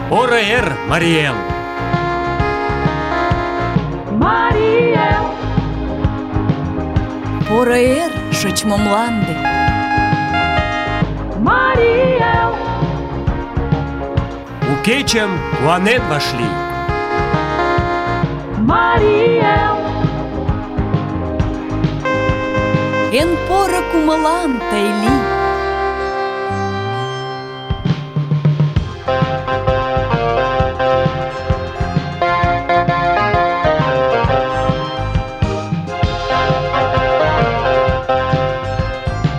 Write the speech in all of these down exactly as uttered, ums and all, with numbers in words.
Поро эр, Марий Эл! Марий Эл! Поро эр, шочмо мланде! Марий Эл! У кечым куанен вашлий! Марий Эл! Эн поро кумылан тый лий!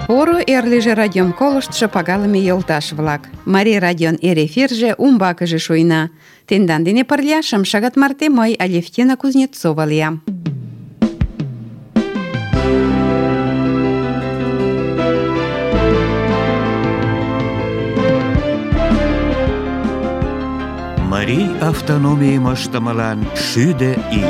Поро эрлиже радиом колыштшо пагалыме йолташ-влак. Марий радион эр эфирже умбакыже шуйна. Тендан дене пырля шым шагат марте мый, Алевтина Кузнецова, лиям. Марий автономийым ыштымылан шӱдӧ ий.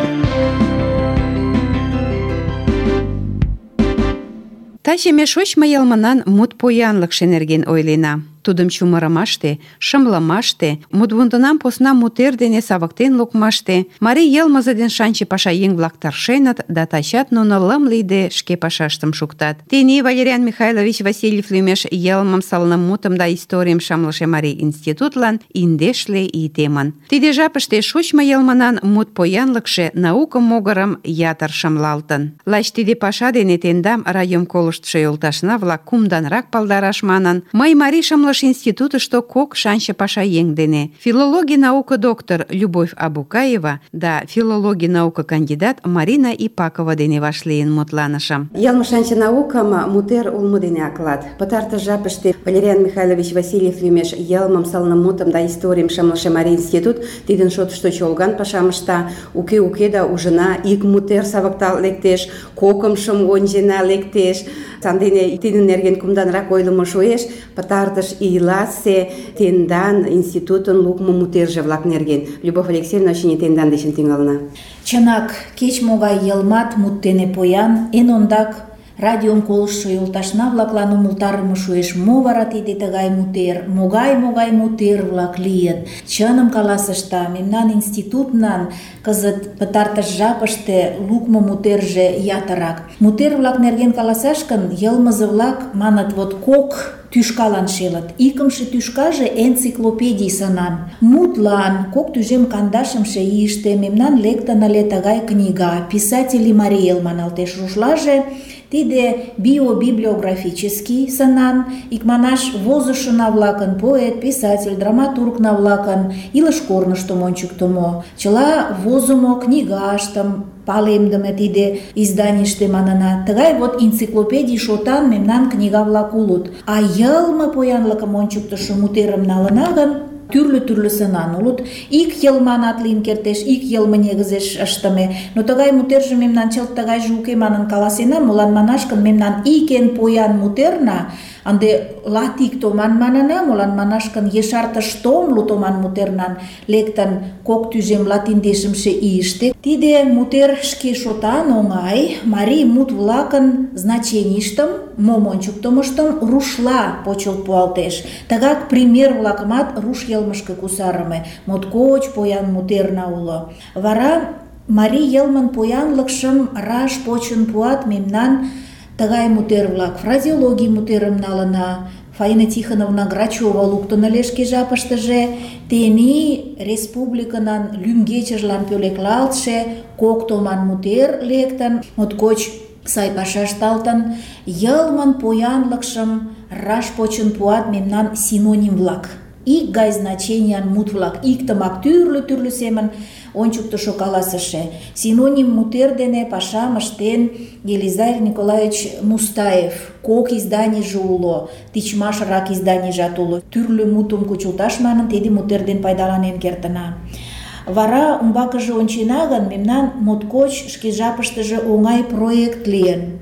Таче ме шочмо йылмынан мут поянлыкше нерген ойлена. Тудым чумырымаште, шымлымаште, мутвундынам посна мутер дене савыктен лукмаште марий йылмызе ден шанче пашаеҥ-влак тыршеныт да тачат нуно лым лийде шке пашаштым шуктат. Тений Валериан Михайлович Васильев лӱмеш йылмым, сылнымутым да историйым шымлыше Марий институтлан индешле ий темын. Тиде жапыште шочмо йылмынан мут поянлыкше науко могырым ятыр шымлалтын. Лач тиде паша дене тендам, радиом колыштшо йолташна-влак, кумданрак палдараш манын, мый Марий шымлыш институтышто кок шанче пашаеҥ дене: филологий наука доктор Любовь Абукаева да филологий наука кандидат Марина Ипакова дене вашлийын мутланышым. Йылме шанче наукам мутер улмо дене аклат. Пытартыш жапыште Валериан Михайлович Васильев лӱмеш йылмым, сылнымутым да историйым шымлыше Марий институт тидын шотышто чолган пашам ышта. Уке-уке да ужына, ик мутер савыктал лектеш, кокымшым ончена лектеш. Сандене тидын нерген кумданрак ойлымо шуэш. Пытартыш ийласе тендан институтын лукмо мутерже-влак нерген. Любовь Алексеевна, очыни тендан дечын тӱҥалына. Чынак, кеч-могай йылмат мут дене поян, эн ондак радиом колыштшо йолташна-влаклан умылтарыме шуэш, мо вара тиде тыгай мутер, могай-могай мутер-влак лийыт. Чыным каласышта, мемнан институтнан кызыт пытартыш жапыште лукмо мутерже ятырак. Мутер-влак нерген каласаш гын, йылмызе-влак маныт, вот кок тӱшкалан шелыт. Икымше тӱшкаже энциклопедий сынан. Мутлан кок тӱжем кандашымше ийыште мемнан лектын ыле тыгай книга «Писатели Марий Эл» маналтеш рушлаже. Тиде биобиблиографический сынан, икманаш возышына-влакын, поэт, писатель, драматургна-влакын илыш корныштым ончыктымо. Чыла возымо книгаштым палемдыме тиде изданийыште манына. Тыгай вот энциклопедий шотан мемнан книга-влак улыт. А йылме поянлыкым ончыктышо мутерым налына гын, тӱрлӧ-тӱрлӧ сынан улыт. Ик йылманат лийын кертеш, ик йылме негызеш ыштыме. Но тыгай мутерже мемнан чылт тыгайже уке манын каласена, молан манаш гын мемнан ик эн поян мутерна ынде латик томан манына, молан манаш гын ешартыш томлу томан мутернан лектын кок тӱжем латиндешымше ийыште. Тиде мутер шке шотан оҥай марий мут-влакын значенийыштым, мом ончыктымыштым рушла почылт пуалтеш. Тыгак пример-влакымат руш йылмышке кусарыме. Моткоч поян мутерна уло. Вара марий йылмын поянлыкшым раш почын пуат мемнан тыгай мутер-влак. Фразеологий мутерым налына. Фаина Тихоновна Грачева луктын ыле шке жапыштыже. Тений республикынан лӱмгечыжлан пӧлеклалтше кок томан мутер лектын. Моткоч сай паша ышталтын. Йылмын поянлыкшым раш почын пуат мемнан синоним-влак. Ик гай значениян мут-влак, иктымак тӱрлӧ-тӱрлӧ семын ончыктышо каласыше. Синоним мутер дене пашам ыштен Елизар Николаевич Мустаев. Кок изданийже уло, тичмашрак изданийжат уло. Тӱрлӧ мутым кучылташ манын, тиде мутер ден пайдаланен кертына. Вара умбакыже ончена гын, мемнан моткоч шке жапыштыже оҥай проект лийын.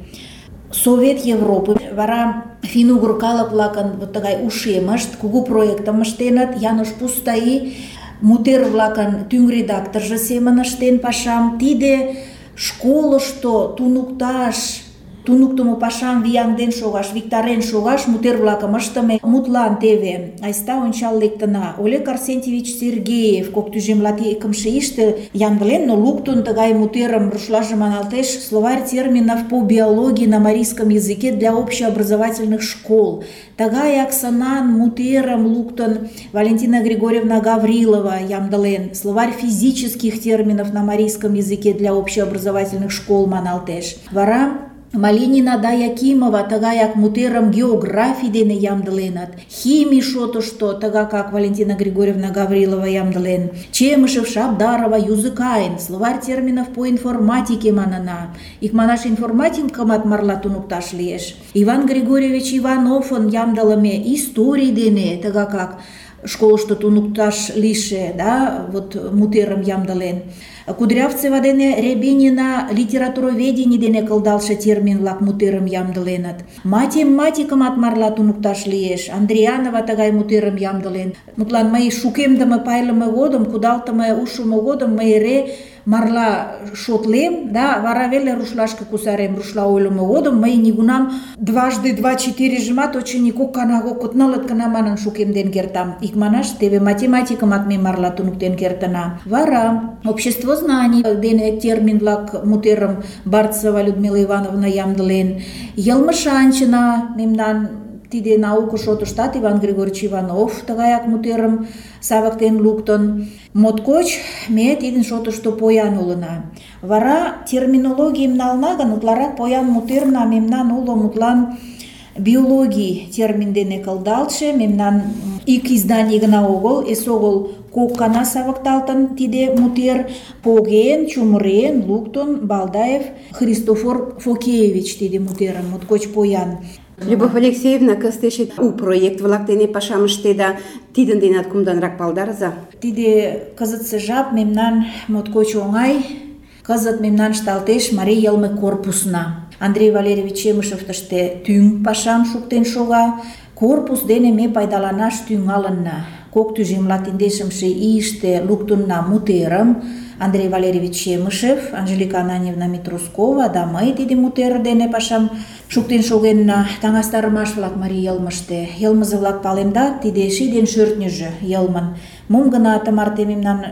Совет Европы, вара финугр калык-влакын вот тыгай ушемышт, кугу проектым ыштеныт. Янош Пустаи мутер-влакын тӱҥ редакторжо семын ыштен пашам. Тиде школышто туныкташ туныктымо пашам вияҥден шогаш, виктарен шогаш мутер-влакым ыштыме. Мутлан теве айста ончал лектына. Олег Арсентьевич Сергеев кок тӱжем латикымше ийыште ямдылен, но луктын тыгай мутерым, рушлаже маналтеш, словарь терминов по биологии на марийском языке для общеобразовательных школ. Тыгаяк сынан мутерым луктын Валентина Григорьевна Гаврилова ямдылен, словарь физических терминов на марийском языке для общеобразовательных школ маналтеш. Вара Малинина да Якимова тыгаяк мутерым географий дене ямдыленат, химий шотышто тыгакак Валентина Григорьевна Гаврилова ямдылен, Чемышев, Шабдарова, Юзыкайн, словарь терминов по информатике манына. Икманаш информатикымат марла туныкташ лиеш. Иван Григорьевич Ивановын ямдылыме историй дене тыгакак школышто туныкташ лийше, да, вот мутерым ямдылен. Кудрявцева дене Рябинина литературоведение дене кылдалше термин-влак мутерым ямдыленыт. Математикымат марла туныкташ лиеш. Андрианова тыгай мутерым ямдылен. Мутлан мый шукемдыме пайлыме годым, кудалтыме ушымо годым мый эре марла шотлем, да, вара веле рушлашке кусарем. Рушла ойлымо годым мый нигунам дважды два четырежымат очыни кок кана, кок нылыт кана манын шукемден кертам. Икманаш теве математикымат ме марла туныктен кертына. Вара общество знаний дене термин-влак мутерым Барцева Людмила Ивановна ямдылен. Йылмышанчына мемнан тиде науко шотыштат Иван Григорьевич Иванов тыгаяк мутерым савыктен луктын. Моткоч ме тидын шотышто поян улына. Вара терминологийым нална гын, утларак поян мутерна мемнан уло мутлан биологий термин дене кылдалтше, мемнан ик изданий гына огыл, эсогыл кок кана савыкталтын тиде мутер, поген, чумырен, луктын Балдаев Христофор Фокеевич тиде мутерым, моткоч поян. Любовь Алексеевна, кыстешет у проект-влак дене пашам ыштеда, тидын денат кумданрак палдарыза. Тиде кызытсе жап мемнан моткоч оҥай, кызыт мемнан ышталтеш марий йылме корпусна. Андрей Валерьевич Чемышев тыште тӱҥ пашам шуктен шога. Корпус дене ме пайдаланаш тӱҥалынна. Кок тӱжем латиндешымше ийыште луктынна мутерым Андрей Валерьевич Чемышев, Анжелика Ананьевна Митрускова да мый тиде мутер дене пашам шуктен шогенна. Таҥастарымаш-влак марий йылмыште. Йылмызе-влак палемдат, тиде ший ден шӧртньыжӧ йылмын. Мом гына тымарте мемнан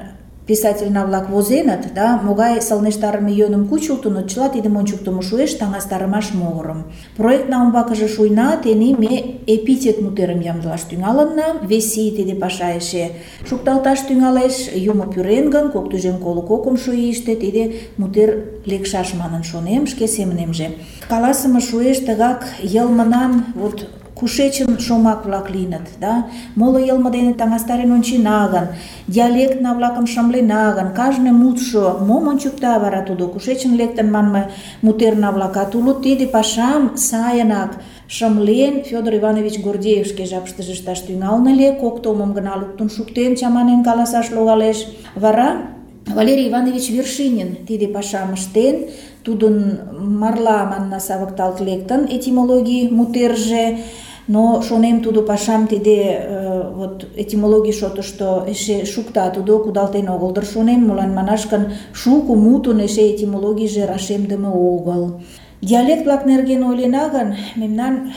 писательна-влак возеныт, да, могай сылнештарыме йӧным кучылтыныт, чыла тидым ончыктымо шуэш таҥастарымаш могырым. Проектна умбакыже шуйна, тений ме эпитет мутерым ямдылаш тӱҥалынна, вес ий тиде паша эше шукталташ тӱҥалеш, юмо пӱрен гын, кок тӱжем коло кокымшо ийыште тиде мутер лекшаш манын шонем, шке семынемже. Каласыме шуэш тыгак йылмынан вот кушечын шомак-влак лийыныт, да? Моло йылме дене таҥастарен ончена гын, диалектна-влакым шымлена гын, кажне мутшо мом ончыкта вара тудо, кушечын лектын манме мутерна-влакат улыт, тиде пашам сайынак шымлен Федор Иванович Гордеев шке жапыштыже ышташ тӱҥалын ыле, кок томым гына луктын шуктен, чаманен каласаш логалеш. Вара Валерий Иванович Вершинин тиде пашам ыштен, тудын марла манна савыкталт лектын этимологий мутерже, но шонем тудо пашам тиде э, вот этимологий шотышто эше шукта, тудо кудалтен огыл дыр шонем, молан манаш гын шуко мутын эше этимологийже рашемдыме огыл. Диалект-влак нерген ойлена гын, мемнан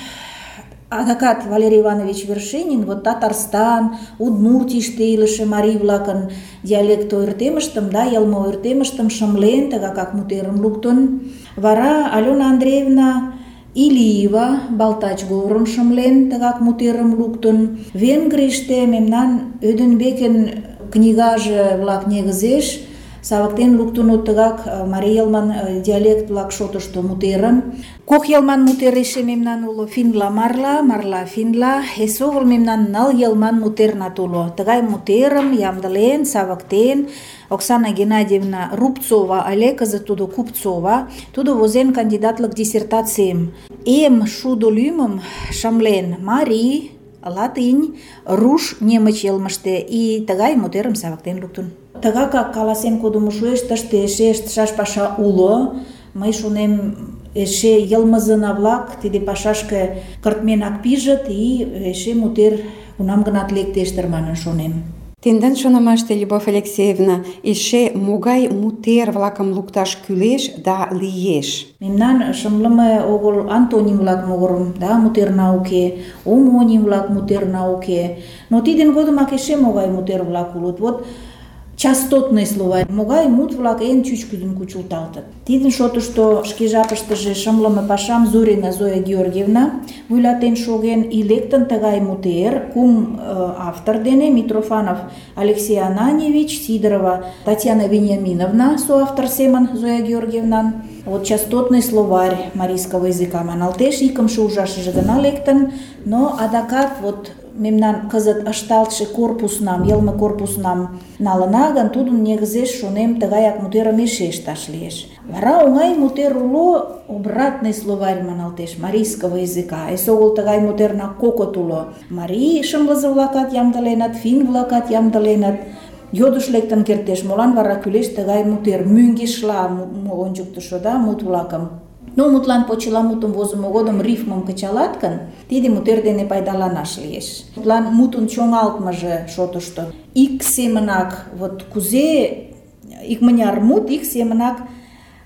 адакат Валерий Иванович Вершинин вот Татарстан, Удмуртийыште илыше марий-влакын диалект ойыртемыштым, да, йылме ойыртемыштым шымлен, тыгакак мутерым луктын. Вара Алена Андреевна Илиева балтач говорым шымлен, тыгак мутерым луктын. Венгрийыште мемнан Ödenbeken книгаже-влак негызеш савыктен луктынут тыгак марий йылман диалект-влак шотышто мутерым. Кок йылман мутер эше мемнан уло, финла марла, марла финла, эсогыл мемнан ныл йылман мутернат уло. Тыгай мутерым ямдылен, савыктен Оксана Геннадьевна Рубцова але, кызыт тудо Купцова, тудо возен кандидатлык диссертацийым. Эм шудо лӱмым шымлен марий, латынь, руш, немыч йылмыште и тыгай мутерым савыктен луктын. Тыгакак каласен кодымо шуэш, тыште эше ыштышаш паша уло. Мый шонем, эше йылмызына-влак тиде пашашке кыртменак пижыт и эше мутер кунам-гынат лектеш дыр манын шонем. Тендан шонымаште, Любовь Алексеевна, эше могай мутер-влакым лукташ кӱлеш да лиеш? Мемнан шымлыме огыл антоним-влак могырым, да, мутерна уке, омоним-влак мутерна уке. Но тидын годымак эше могай мутер-влак улыт. Вот частотный словарь, могай мут-влак эн чӱчкыдын кучылталтыт. Тидын шотышто шке жапыштыже шымлыме пашам Зорина Зоя Георгиевна вуйлатен шоген, и лектын тыгай мутер кум э, автор дене: Митрофанов Алексей Ананьевич, Сидорова Татьяна Вениаминовна, соавтор семын Зоя Георгиевнан. Вот частотный словарь марийского языка маналтеш, икымше ужашыже гына лектын, но адакат вот мемнан кызыт ышталтше корпуснам, йылме корпуснам налына гын, тудын негізеш, шонем, тыгаяк мутерым эше ышташ лиеш. Вара оҥай мутер уло, обратный словарь маналтеш марийского языка. Эсогыл тыгай мутерна кокыт уло. Марий шымлызе-влакат ямдыленыт, финн-влакат ямдыленыт. Йодыш лектын кертеш, молан вара кӱлеш тыгай мутер, мӧҥгешла ончыктышо, да, мут-влакым. Но мутлан почеламутым возымо годым рифмым кычалат гын, тиде мутер дене пайдаланаш лиеш. Мутлан мутын чоҥалтмыже шотышто ик семынак, вот кузе икмыняр мут ик семынак,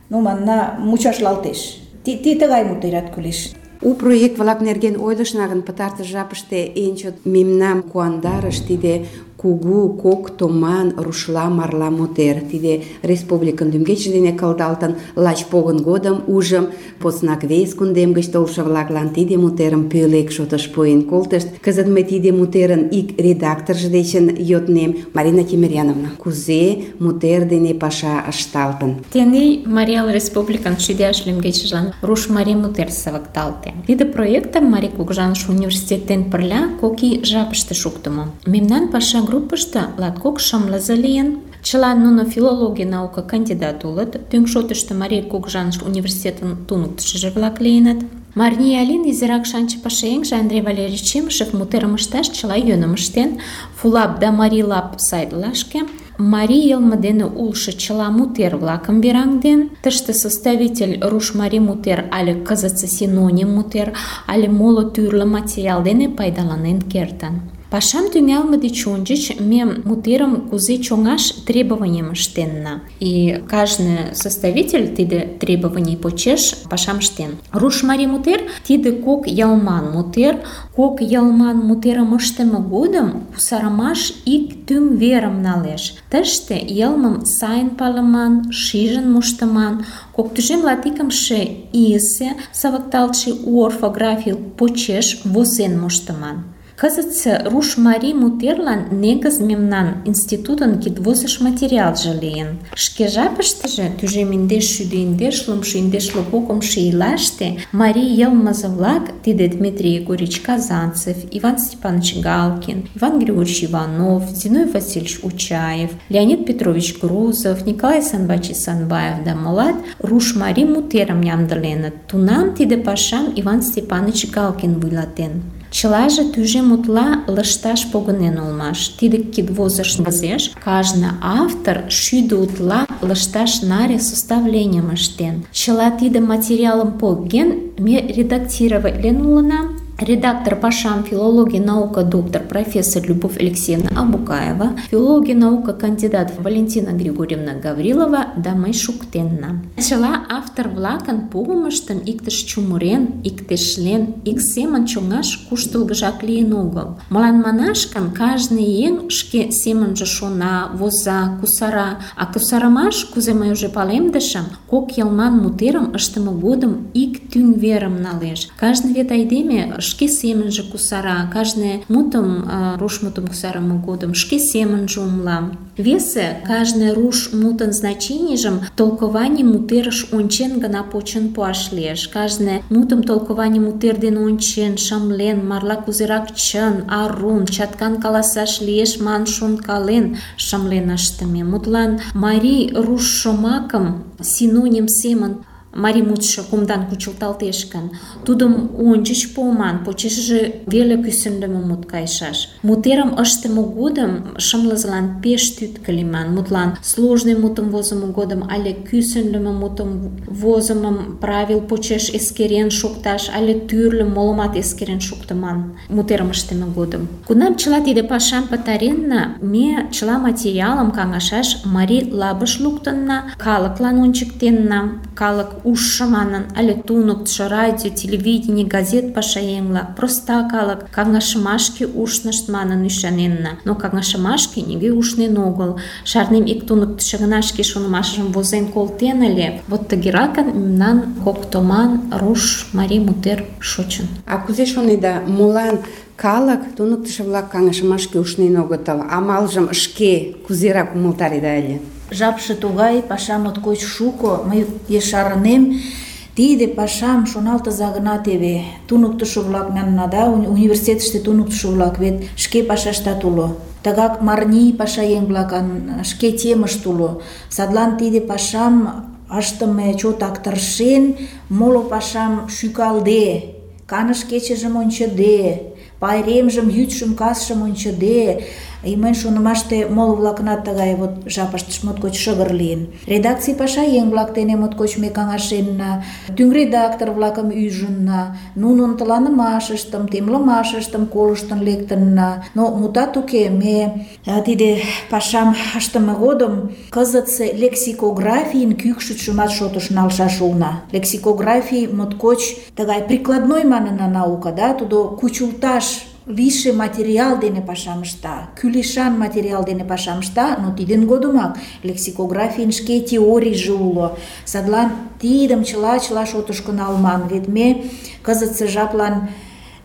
ну, манна, мучашлалтеш. Ти тыгай мутерат кӱлеш. У проект-влак нерген ойлышна гын, пытартыш жапыште эн чот мемнам куандарыш тиде кугу кок томан рушла марла мутер. Тиде республикын лӱмгече дене кылдалтын, лач погын годым ужым, поснак вес кундем гыч толшо-влаклан тиде мутерым пӧлек шотыш пуэн колтышт. Кызыт мый тиде мутерын ик редакторжо дечын йоднем: Марина Тимиряновна, кузе мутер дене паша ышталтын? Тений Марий Эл Республикан шӱдӧ лӱмгечыжлан руш марий мутер савыкталте. Тиде проектым Марий Кугыжаныш университет дене пырля кок ий жапыште шуктымо. Мемнан паша группышто латкок шымлызе лийын. Чылан нуно филология наука кандидат улыт. Тӱҥ шотышто Марий Кугыжаныш университетын туныктышыжо-влак лийыныт. Мария Алин изирак шанче пашаеҥже Андрей Валерьевич Чемышев мутерым ышташ чыла йӧным ыштен. Фулап да Марилап сайтлашке марий йылме дене улшо чыла мутер-влакым вераҥден. Тыште составитель руш марий мутер але кызытсе синоним мутер але моло тӱрлӧ материал дене пайдаланен кертын. Пашам тӱҥалме деч ончыч ме мутерым кузе чоҥаш требованийым ыштенна. И кажне составитель тиде требований почеш пашам ыштен. Руш марий мутер тиде кок йылман мутер. Кок йылман мутерым ыштыме годым кусарымаш ик тӱҥ верым налеш. Тыште йылмым сайын палыман, шижын моштыман, кок тӱжем латикымше ийысе савыкталтше у орфографий почеш возен моштыман. Кызытсе руш марий мутерлан негыз мемнан институтын кидвозыш материалже лийын. Шке жапыштыже тӱжем индеш шӱдӧ индеш лумшо индеш лу кокымшо ийлаште марий йылмызе-влак, тиде Дмитрий Егорич Казанцев, Иван Степанович Галкин, Иван Григорьевич Иванов, Зиной Васильевич Учаев, Леонид Петрович Грузов, Николай Санбачи Санбаев да молат руш марий мутерым ямдыленыт. Тунам тиде пашам Иван Степанович Галкин вуйлатен. Чылаже тӱжем утла лышташ погынен улмаш. Тиде кидвозыш возеш кажне автор шӱдӧ утла лышташ наре составленийым ыштен. Чыла тиде материалым поген, ме редактироватлен улына. Редактор пашам филология наука доктор профессор Любовь Алексеевна Абукаева, филология наука кандидат Валентина Григорьевна Гаврилова да мый шуктенна. Чыла автор-влакын погымыштым иктыш чумырен, иктешлен, ик семын чоҥаш куштылгыжак лийын огыл. Молан манаш гын, кажне еҥ шке семынже шона, воза, кусара, а кусарымаш, кузе мый уже палемдышым, кок йылман мутерым ыштыме годым ик тӱҥ верым налеш. Кажне вет айдеме шке семынже кусара, кажне мутым, руш мутым кусарыме годым шке семынже умла. Весе кажне руш мутын значенийжым толкование мутерыш ончен гына почын пуаш лиеш. Кажне мутым толкование мутер дене ончен, шымлен, марла кузерак чын, арун, чаткан каласаш лиеш ман шонкален, шымлен ыштыме. Мутлан марий руш шомакым синоним семын марий мутшо кумдан кучылталтеш гын, тудым ончыч пуыман, почешыже веле кӱсынлымӧ мут кайышаш. Мутерым ыштыме годым шымлызылан пеш тӱткӧ лийман. Мутлан, сложный мутым возымо годым але кӱсынлымӧ мутым возымым правил почеш эскерен шукташ, але тӱрлӧ молымат эскерен шуктыман мутерым ыштыме годым. Кунам чыла тиде пашам пытаренна, ме чыла материалым каҥашаш марий лабыш луктынна, калыклан ончыктенна, калык ужшо манын, але туныктышо, радио, телевидение, газет пашаеҥ-влак, проста калык каҥашымашке ушнышт манын ӱшаненна. Но каҥашымашке нигӧ ушнен огыл. Шарнем, ик туныктышо гына шке шонымашыжым возен колтен ыле. Вот тыгеракын мемнан кок томан руш марий мутер шочын. А кузе шонеда, молан калык туныктышо-влак каҥашымашке ушнен огытыл? Амалжым шке кузерак умылтареда ыле? Жапше тугай, паша моткоч шуко, мый ешарынем. Тиде пашам шоналтыза гына теве. Туныктышо-влак манна, да, университетыште туныктышо-влак вет шке пашаштат уло. Тыгак марний пашаеҥ-влакын шке темышт уло. Садлан тиде пашам ыштыме чотак тыршен, моло пашам шӱкалде, каныш кечыжым ончыде, пайремжым, йӱдшым, касшым ончыде, и мыйын шонымаште моло-влакынат тыгай вот жапыштышт моткоч шыгыр лийын. Редакций пашаеҥ-влак дене моткоч ме каҥашенна, тӱҥ редактор-влакым ӱжынна, нунын тыланымашыштым, темлымашыштым колыштын лектынна. Но мутат уке, ме тиде пашам ыштыме годым кызытсе лексикографийын кӱкшытшымат шотыш налшаш улна. Лексикографий моткоч тыгай прикладной манына наука, да, тудо кучылташ лийше материал дене пашам ышта, кӱлешан материал дене пашам ышта, но тидын годымак лексикографийын шке теорийже уло. Садлан тидым чыла-чыла шотышко налман, вет ме кызытсе жаплан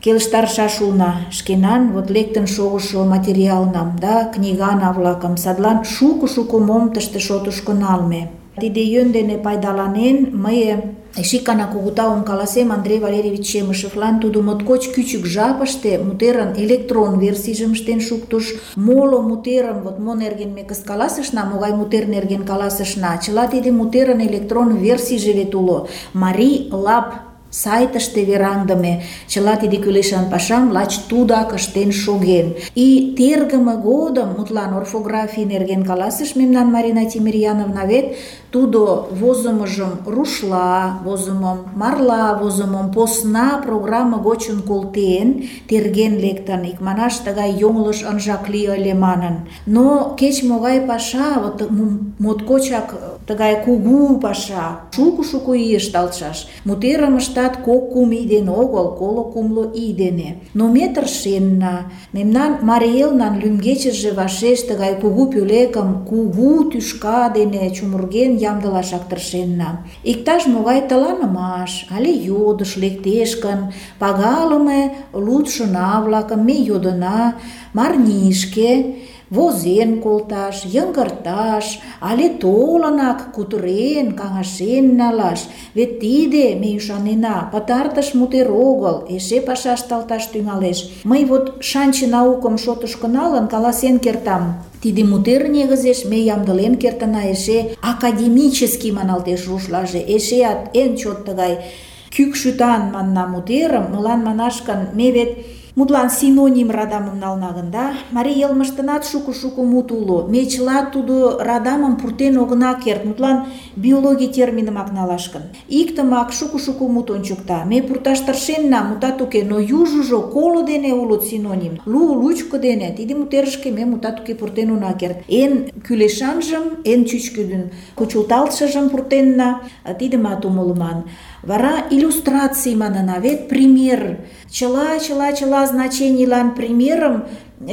келыштарышаш улна шкенан вот лектын шогышо материалнам, да, книгана-влакым. Садлан шуко-шуко мом тыште шотышко налме. Тиде йӧн дене пайдаланен, мый эше икана кугу таум каласем Андрей Валерьевич Чемышевлан. Тудо моткоч кӱчык жапыште мутерын электрон версийжым ыштен шуктыш. Моло мутерым, вот мо нерген ме кызыт каласышна, могай мутер нерген каласышна, чыла тиде мутерын электрон версийже вет уло. Марий лаб сайтыште вераҥдыме. Чыла тиде кӱлешан пашам лач тудак ыштен шоген. И тергыме годым, мутлан орфографий нерген каласыш мемнан Марина Тимирьяновна, вет тудо возымыжым рушла возымым, марла возымым посна программа гочын колтен, терген лектын, икманаш тыгай йоҥылыш ынжак лий ыле манын. Но кеч-могай паша, вот моткочак тыгай кугу паша, шуко-шуко ий ышталтшаш. Мутерым ыштат кок-кум ий дене огыл, коло-кумло ий дене. Но ме тыршенна. Мемнан Марий Элнан лӱмгечыже вашеш тыгай кугу пӧлекым кугу тӱшка дене чумырген ямдылашак тыршенна. Иктаж-могай тыланымаш але йодыш лектеш гын, пагалыме лудшына-влакым ме йодына марнишке возен колташ, йыҥгырташ, але толынак кутырен, каҥашен налаш. Вет тиде, ме ӱшанена, пытартыш мутер огыл, эше паша ышталташ тӱҥалеш. Мый вот шанче наукым шотышко налын каласен кертам. Тиде мутер негызеш ме ямдылен кертына эше академический маналтеш рушлаже, эшеат эн чот тыгай кӱкшӱтан манна мутерым, молан манаш гын, ме вет мутлан синоним радамым нална гын, да, марий йылмыштынат шуко-шуко мут уло. Ме чыла тудо радамым пуртен огына керт, мутлан биологий терминымак налаш гын. Иктымак шуко-шуко мут ончыкта. Ме пурташ тыршенна, мутат уке, но южыжо коло дене улыт синоним, лу, лучко дене. Тиде мутерышке ме мутат уке пуртен она керт. Эн кӱлешанжым, эн чӱчкыдын кучылталтшыжым пуртенна, тидымат умылыман. Вара иллюстраций манына, вет пример. Чыла-чыла-чыла значенийлан примерым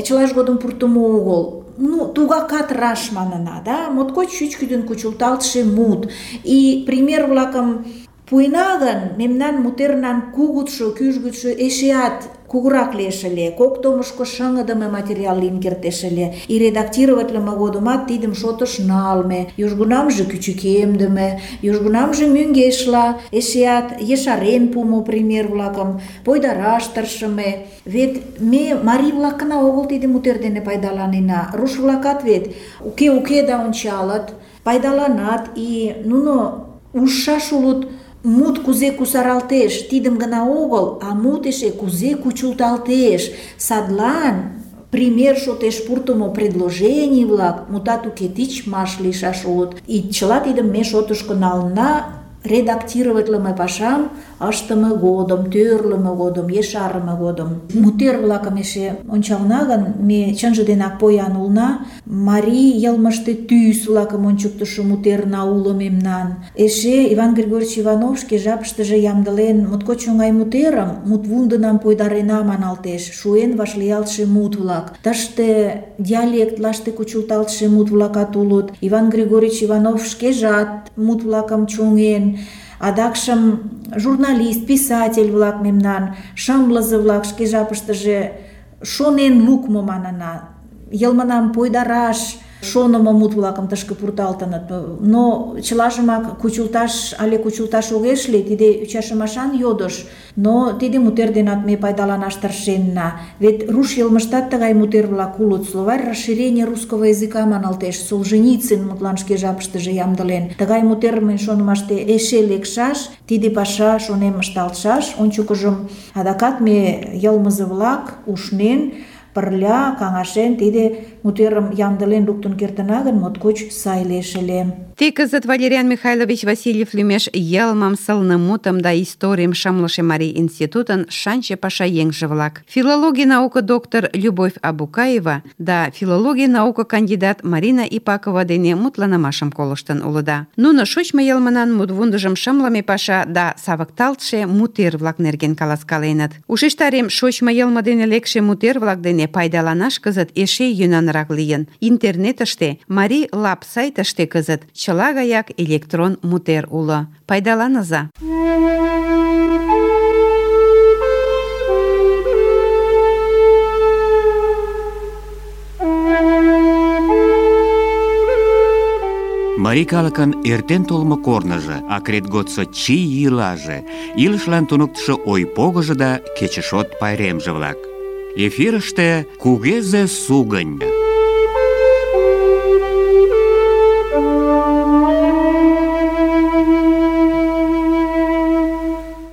чылаж годым пуртымо огыл. Ну, тугакат раш манына, да, моткоч чӱчкыдын кучылталтше мут. И пример-влакым пуэна гын, мемнан мутернан кугутшо, кӱжгытшӧ эшеат кугурак лиеш ыле, кок томышко шыҥыдыме материал лийын кертеш ыле. И редактироватлыме годымат тидым шотыш налме, южгунамже кӱчыкемдыме, южгунамже мӧҥгешла, эшеат ешарен пуымо пример-влакым пойдараш тыршыме. Вет ме марий-влакына огыл тиде мутер дене пайдаланена. Руш-влакат вет уке-уке да ончалыт, пайдаланат, и нуно ужшаш улыт мут кузе кусаралтеш, тидым гына огыл, а мут эше кузе кучылталтеш. Садлан пример шотеш пуртымо предложений-влак мутат уке тичмаш лийшаш улыт. И чыла тидым ме шотышко налына редактироватлыме пашам ыштыме годым, тӧрлымӧ годым, ешарыме годым. Мутер-влакым эше ончална гын, ме чынже денак поян улна. Марий йылмыште тӱс-влакым ончыктышо мутерна уло мемнан. Эше Иван Григорьевич Иванов шке жапыштыже ямдылен моткоч оҥай мутерым, мутвундынам пойдарена маналтеш, шуэн вашлиялтше мут-влак. Тыште диалектлаште кучылталтше мут-влакат улыт. Иван Григорьевич Иванов шкежат мут-влакым чоҥен. Адакшым журналист, писатель-влак мемнан, шымлызе-влак шке жапыштыже шонен лукмо манына, йылмынам пойдараш шонымо мут-влакым тышке пурталтыныт. Но чылажымак кучылташ але кучылташ огеш лий, тиде ӱчашымашан йодыш. Но тиде мутер денат ме пайдаланаш тыршенна. Вет руш йылмыштат тыгай мутер-влак улыт. Словарь расширения русского языка маналтеш. Солженицын мутлан шке жапыштыже ямдылен. Тыгай мутер мен шонымаште эше лекшаш, тиде паша шонем ышталтшаш. Ончыкыжым адакат ме йылмызе-влак ушнен, пырля каҥашен тиде мутерым ямдылен луктын кертына гын, моткоч сай лиеш ыле. Те кызыт Валериан Михайлович Васильев лӱмеш йылмым, сылне мутым да историйым шымлыше Марий институтын шанче пашаеҥже-влак. Филологий науко доктор Любовь Абукаева да филологий науко кандидат Марина Ипакова дене мутланымашым колыштын улыда. Нуно шочмо йылмынан мутвундыжым шымлыме паша да савыкталтше мутер-влак нерген каласкаленыт. Ушештарем, шочмо йылме дене лекше мутер-влак дене пайдаланаш кызыт эше йӧнанрак лийын. Интернетыште, Марий Лаб сайтыште кызыт чыла гаяк электрон мутер уло. Пайдаланыза. Марий калыкын эртен толмо корныжо, акрет годсо чий йӱлаже, илышлан туныктышо ой-погыжо да кечышот пайремже-влак. Эфирыште кугезе сугынь.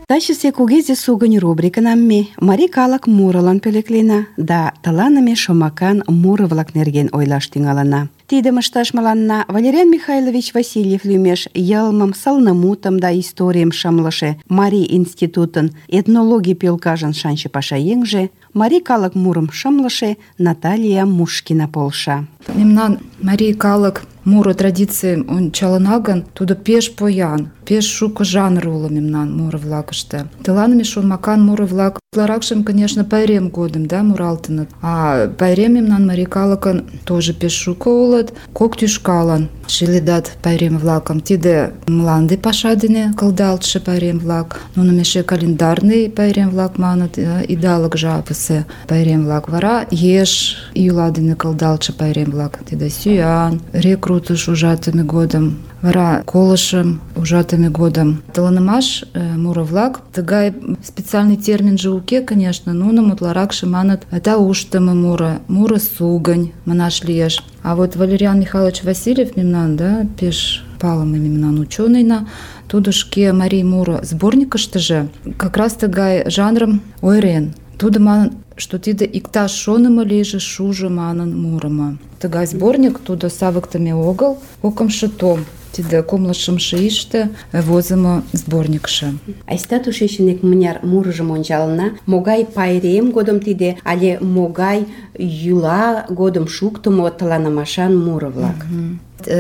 Тачысе кугезе сугынь рубрикынам ме марий калык мурылан пӧлеклена да тыланыме шомакан муро-влак нерген ойлаш тӱҥалына. Тидым ышташ мыланна Валериан Михайлович Васильев лӱмеш йылмым, сылнымутым да историйым шымлыше Марий институтын этнологий пӧлкажын шанче пашаеҥже, марий калык мурым шымлыше Наталья Мушкина полша. Мемнан марий калык муро традицийым ончалына гын, тудо пеш поян, пеш шуко жанр уло мемнан муро-влакыште. Тыланыме шомакан муро-влак утларакшым, конечно, пайрем годым да муралтыныт. А пайрем мемнан марий калыкын тоже пеш шуко улыт. Кок тӱшкалан шӱледат пайрем-влакым. Тиде мланде паша дене кылдалтше пайрем-влак, нуным эше календарный пайрем-влак маныт, идалык жапысе пайрем-влак. Вара еш йӱла дене кылдалтше пайрем-влак. Тиде сӱан, рекрутыш ужатыме годым, вара колышым ужатыме годым. Тыланымаш муро-влак, тыгай специальный терминже уке, конечно, нуным утларакше маныт тауштымо муро, муро сугынь манаш лиеш. А вот Валериан Михайлович Васильев мемнан, да, пеш палыме мемнан учёныйна, тудо шке марий муро сборникыштыже как раз тыгай жанрым ойырен. Тудо манын, что тиде иктаж шонымо лийже шужо манын мурымо. Тыгай сборник тудо савыктыме огыл, кокымшо том. Тиде кумло шымше ийыште возымо сборникше. Айста тушечын икмыняр мурыжым ончалына. Могай пайрем годым тиде, але могай йӱла годым шуктымо тыланымашан муро-влак.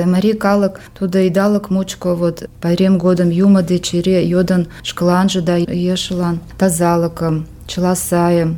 Марий калык тудо идалык мучко вот пайрем годым юмо деч эре йодын шкаланже да ешылан тазалыкым, чыла сайым,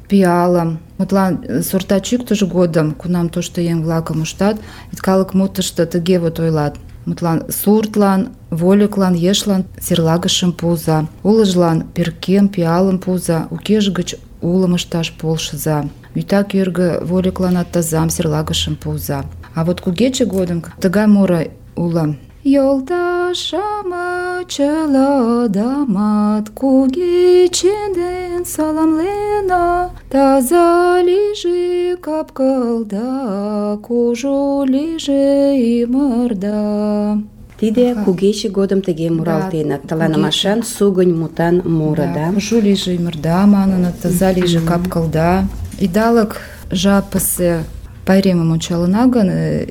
пиалым. Мутлан сорта чӱктыш годым, кунам тошто еҥ-влакым уштат, калык мутышто тыге вот ойлат. Мутлан суртлан, вольыклан, ешлан серлагышым пуыза, улыжлан перкем, пиалым пуыза, укеж гыч улым ышташ полшыза. Вӱта кӧргӧ вольыкланат тазам, серлагышым пуыза. А вот кугече годым тыгай муро уло. Йолташ-шамыч чыладамат кугече ден саламлена, таза лийже кап-кылда, кужу лийже ӱмырда. Тиде Ага. кугече годым тыге муралтеныт. Таланымашан сугынь мутан муро, да? Кужу лийже ӱмырда маныныт, таза лийже кап-кылда. Идалык жапысе пайремым ончалына гын,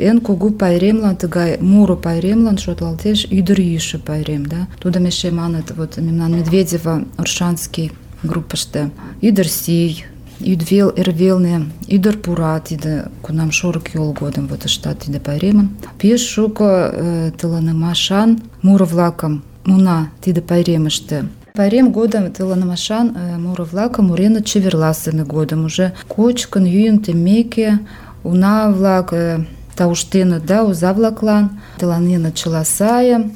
эн кугу пайремлан, тыгай муро пайремлан шотлалтеш ӱдырйӱшӧ пайрем, да? Тудым эше маныт, вот мемнан Медведева Оршанский группыште. Ӱдыр сий, йӱдвел эрвелне ӱдыр пура, тиде кунам шорык йол годым вот ыштат тиде пайремым. Пеш шуко э, тыланымашан муро-влакым муна тиде пайремыште. Пайрем годым тыланымашан э, муро-влакым муреныт чеверласыме годым. Уже кочкын, йӱын теммеке, уна-влак э, тауштеныт да оза-влаклан, тыланеныт чыла сайым.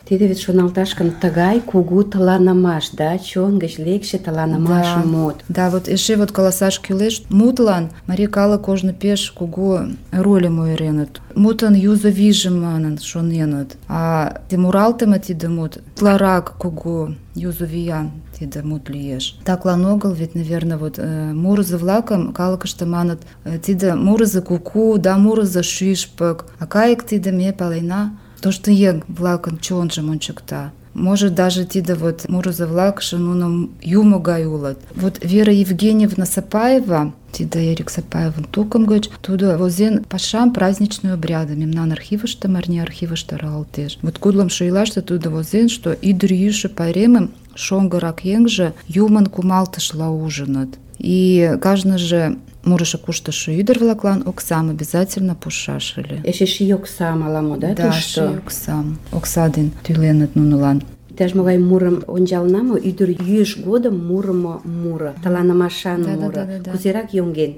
Тиде вет шоналташ гын тыгай кугу таланымаш, да, чон гыч лекше таланымаш Да. мут. Да, вот эше вот каласаш кӱлеш, мутлан марий калык ожно пеш кугу рольым ойыреныт. Мутын юзо вийжым манын шоненыт. А те муралтыме тиде мут утларак кугу юзо виян тиде мут лиеш. Таклан огыл, ведь, наверное, вот э, мурызо-влакым калыкыште маныт, э, тиде мурызо куку, да мурызо шӱшпык. А кайык тиде ме палена, тошто еҥ-влакын чонжым ончыкта. Может, даже тиде вот мурызо-влакше нуно юмо гай улыт. Вот Вера Евгеньевна Сапаева, тиде Эрик Сапаевын тукым гыч, тудо возен пашам праздничный обряды. Мемнан архивыште, Марни архивыште аралалтеш. Вот кудлымшо ийлаште тудо возен, что ӱдыр-йӱшӧ пайремым шоҥгырак еҥже юмын кумалтышла ужыныт. И кажныже мурышо-куштышо ӱдыр-влаклан оксам обязательно пуышаш ыле. Эше ший оксам ала-мо, да, Да, тушто? ший оксам. Окса ден тӱленыт нунылан. Иктаж-могай мурым ончална мо, ӱдыр йӱыш годым мурымо муро, таланымашан Да, да, муро. да, да, да. Кузерак йоҥген?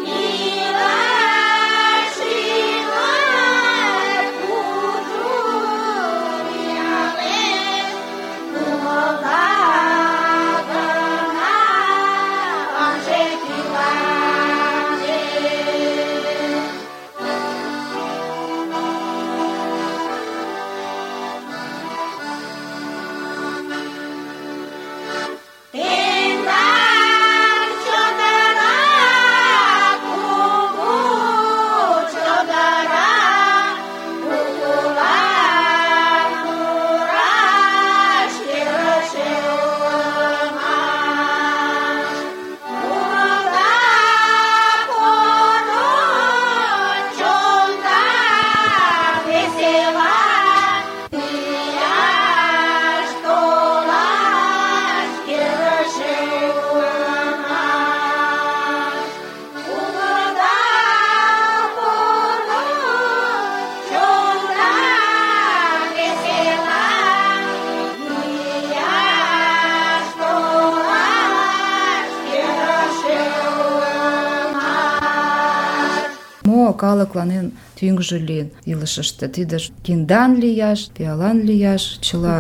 Ила, мо калыклан тӱҥжӧ лийын илышыште. Тиде киндан лияш, пиалан лияш, чыла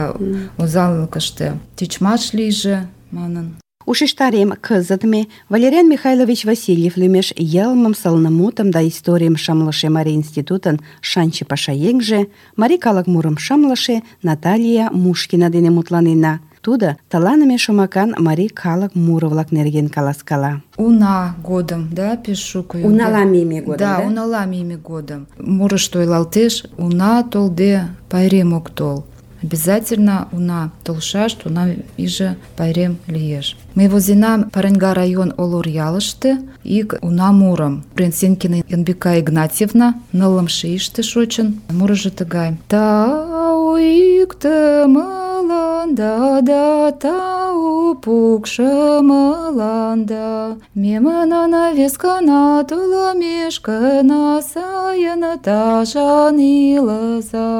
озанлыкыште тичмаш лийже манын. Ушештарем, кызыт ме Валериан Михайлович Васильев лӱмеш йылмым, сылнымутым да историйым шымлыше Марий институтын шанче пашаеҥже, марий калык мурым шымлыше Наталья Мушкина дене мутланена. Тудо тыланыме шомакан марий калык муро-влак нерген каласкала. Уна годым, да, пеш шуко. Унала мийыме годым, да? Да, унала мийыме годым. Мурышто ойлалтеш, уна толде пайрем ок тол. Обязательно уна толшаш, уна иже пайрем лиеш. Мый возенам Параньга район Олор ялыште ик уна мурым. Пренсенкина Янбика Игнатьевна нылымше ийыште шочын. Мурыжо тыгай. Тау иктымыланда да тау пукшымыланда, мемнан вескана толымешкына сайын тажан илыза.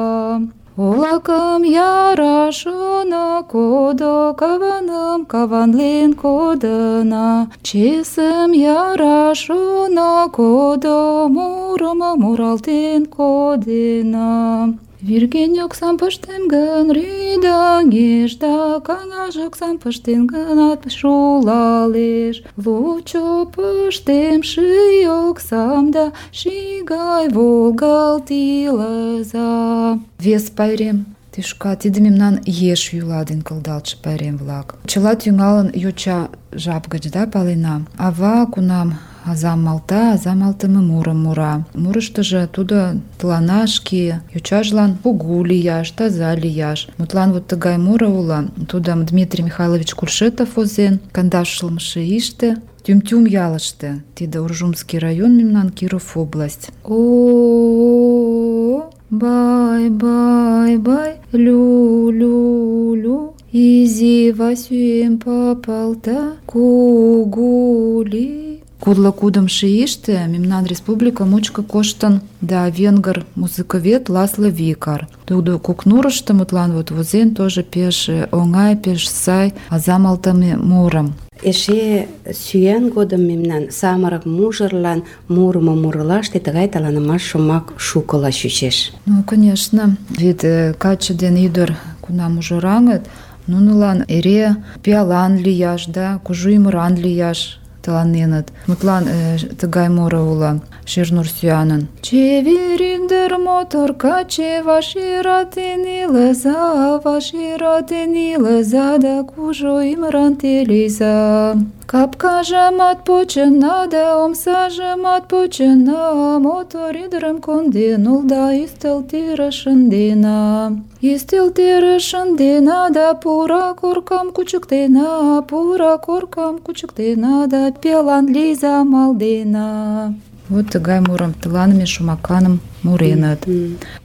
Олакым ярашына кодо, каваным каванлен кодына, чесым ярашына кодо, мурым муралтен кодена. Вирген оксам пыштем гын рӱдаҥеш, да каҥаш оксам пыштен гынат шулалеш. Лучо пыштем ший оксам да ший гай волгалт илыза. Вес пайрем тӱшка, тиде мемнан еш йӱла ден кылдалтше пайрем-влак. Чыла тӱҥалын йоча жап гыч, да, палена. Ава кунам азам малта, азам малтыме мурым мура. Мурыштыжо тудо тылана шке йочажлан кугу лияш, таза лияш. Мутлан вот тыгай муро уло. Тудым Дмитрий Михайлович Куршетов возен, кандашлымше ийыште, Тюм-Тюм ялыште. Тиде Уржумский район мемнан, Киров область. О, бай-бай-бай, лю-лю-лю, изи Васюем попалта, кугули. Кудло кудымшо ийыште мемнан республика мучко коштын да венгр музыковед Ласло Викар. Тудо Кукнурышто мутлан вот возен тоже пеш оҥай, пеш сай аза малтыме мурым. Эше сӱан годым мемнан самырык мужырлан мурымо мурылаште тыгай таланымаш шомак шукыла чучеш. Ну, конечно, вет каче ден ӱдыр кунам мужыраҥыт, нунылан эре пиалан лияш, да, кужу ӱмыран лияш тыланеныт. Мутлан э, тыгай муро уло Шернур сӱанын. Чевер ӱдыр мотор каче, ваширатен илыза, ваширатен илыза, да кужу ӱмыран те лийза. Капкажымат почына да омсажымат почына, мотор ӱдырым конден улда, ӱстелтӧрыш шындена. Ӱстелтӧрыш шындена да пура коркам кучыктена, пура коркам кучыктена да пиалан лийза малдена. Вот тыгай мурым тыланыме шомаканым муреныт.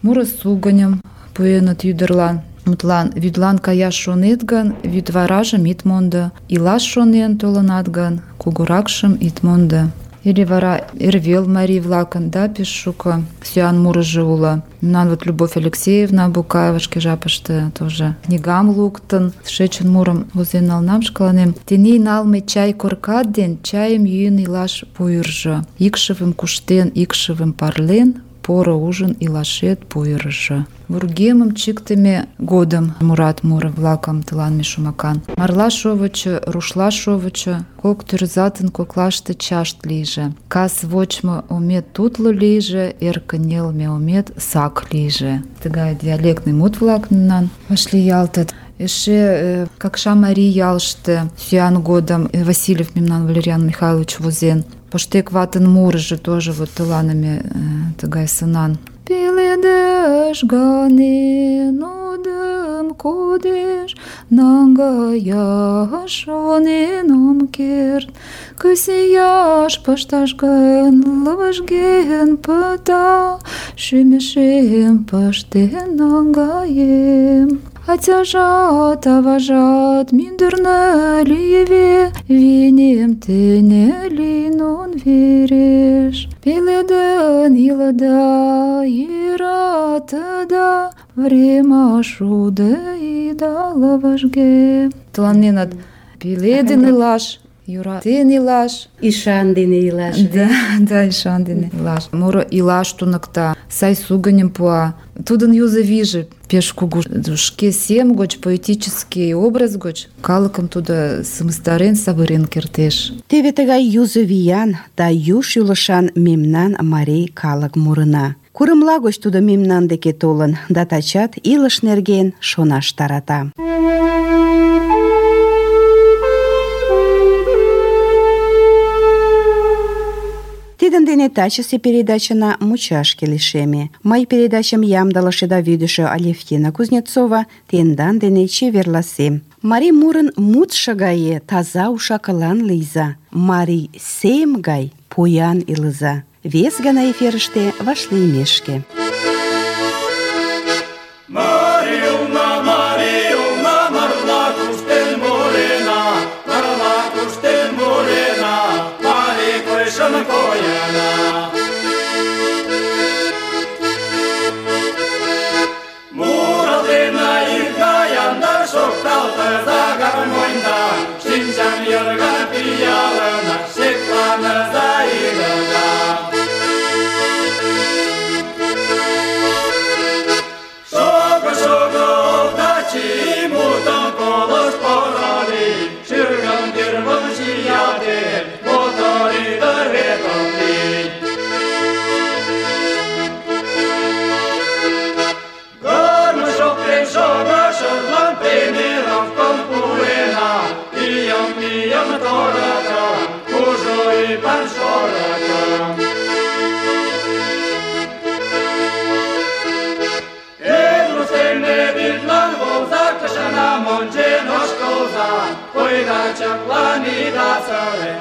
Муро сугыньым пуэныт ӱдырлан. Мутлан, вӱдлан каяш шонет гын, вӱдваражым ит мондо. Илаш шонен толынат гын, кугуракшым ит мондо. Или вара эрвел марий-влакын, да, пеш шуко сӱан мурыжо уло. Мемнан вот Любовь Алексеевна Букаева шке жапыште тоже книгам луктын, шечын мурым возен налнам шкаланем. Тений налме чай коркат ден чайым йӱын илаш пуйыржо. Икшывым куштен, икшывым парлен, поро ужын илашет пуйыржо. Вургемым чиктыме годым мурат муро-влакым тыланме шомакан. Марла шовычо, рушла шовычо, кок тӱрзатын коклаште чашт лийже. Кас вочмо омет тутло лийже, эр кынелме омет сак лийже. Тыгай диалектный мут-влак мемнан вашлиялтыт. Эше э, Какша марий ялыште сӱан годым Васильев мемнан Валериан Михайлович возен. Поштек ватын мурыжо тоже вот тыланыме э, тыгай сынан. Пеледеш ганен одым кодеш, наҥгаяш шонен ом керт. Кысияш пышташ гын лывыжген пыта, шӱмешем пыштен наҥгаем. Ацяжат, аважат мӱндырнӧ лийве, вийнем тене лийнон вереш. Пеледын илыда, йӧратыда, время шуде ида лывыжге. Тыланенат пеледын илаш, йӧратен илаш. Ишан дене илаш. Да, да, ишан дене илаш. Муро илаш туныкта, сай сугыньым пуа. Тудын юзо вийже пеш кугу. Шке сем гоч, поэтический образ гоч калыкым тудо сымыстарен, савырен кертеш. Теве тыгай юзо виян да ю шӱлышан мемнан марий калык мурына. Курымла гоч тудо мемнан деке толын, да тачат илыш нерген шонаш тарата. Тидын дене тачысе передачына мучашке лишеме. Мый передачым ямдылыше да вӱдышӧ Алевтина Кузнецова тендан дене чеверласем. Марий мурын мутшо гае таза уш-акылан лийза. Марий сем гай поян илыза. Вес гана эфирыште вашлиймешке. Марилна, Марилна, марла куштен мурена, марла куштен мурена, Марий койшын кояна. Муралтена иргаянда, шокталтыза гармоньда, шинчам йырган пиялына, шекланыза ирга. Ой, да чаклани да царе,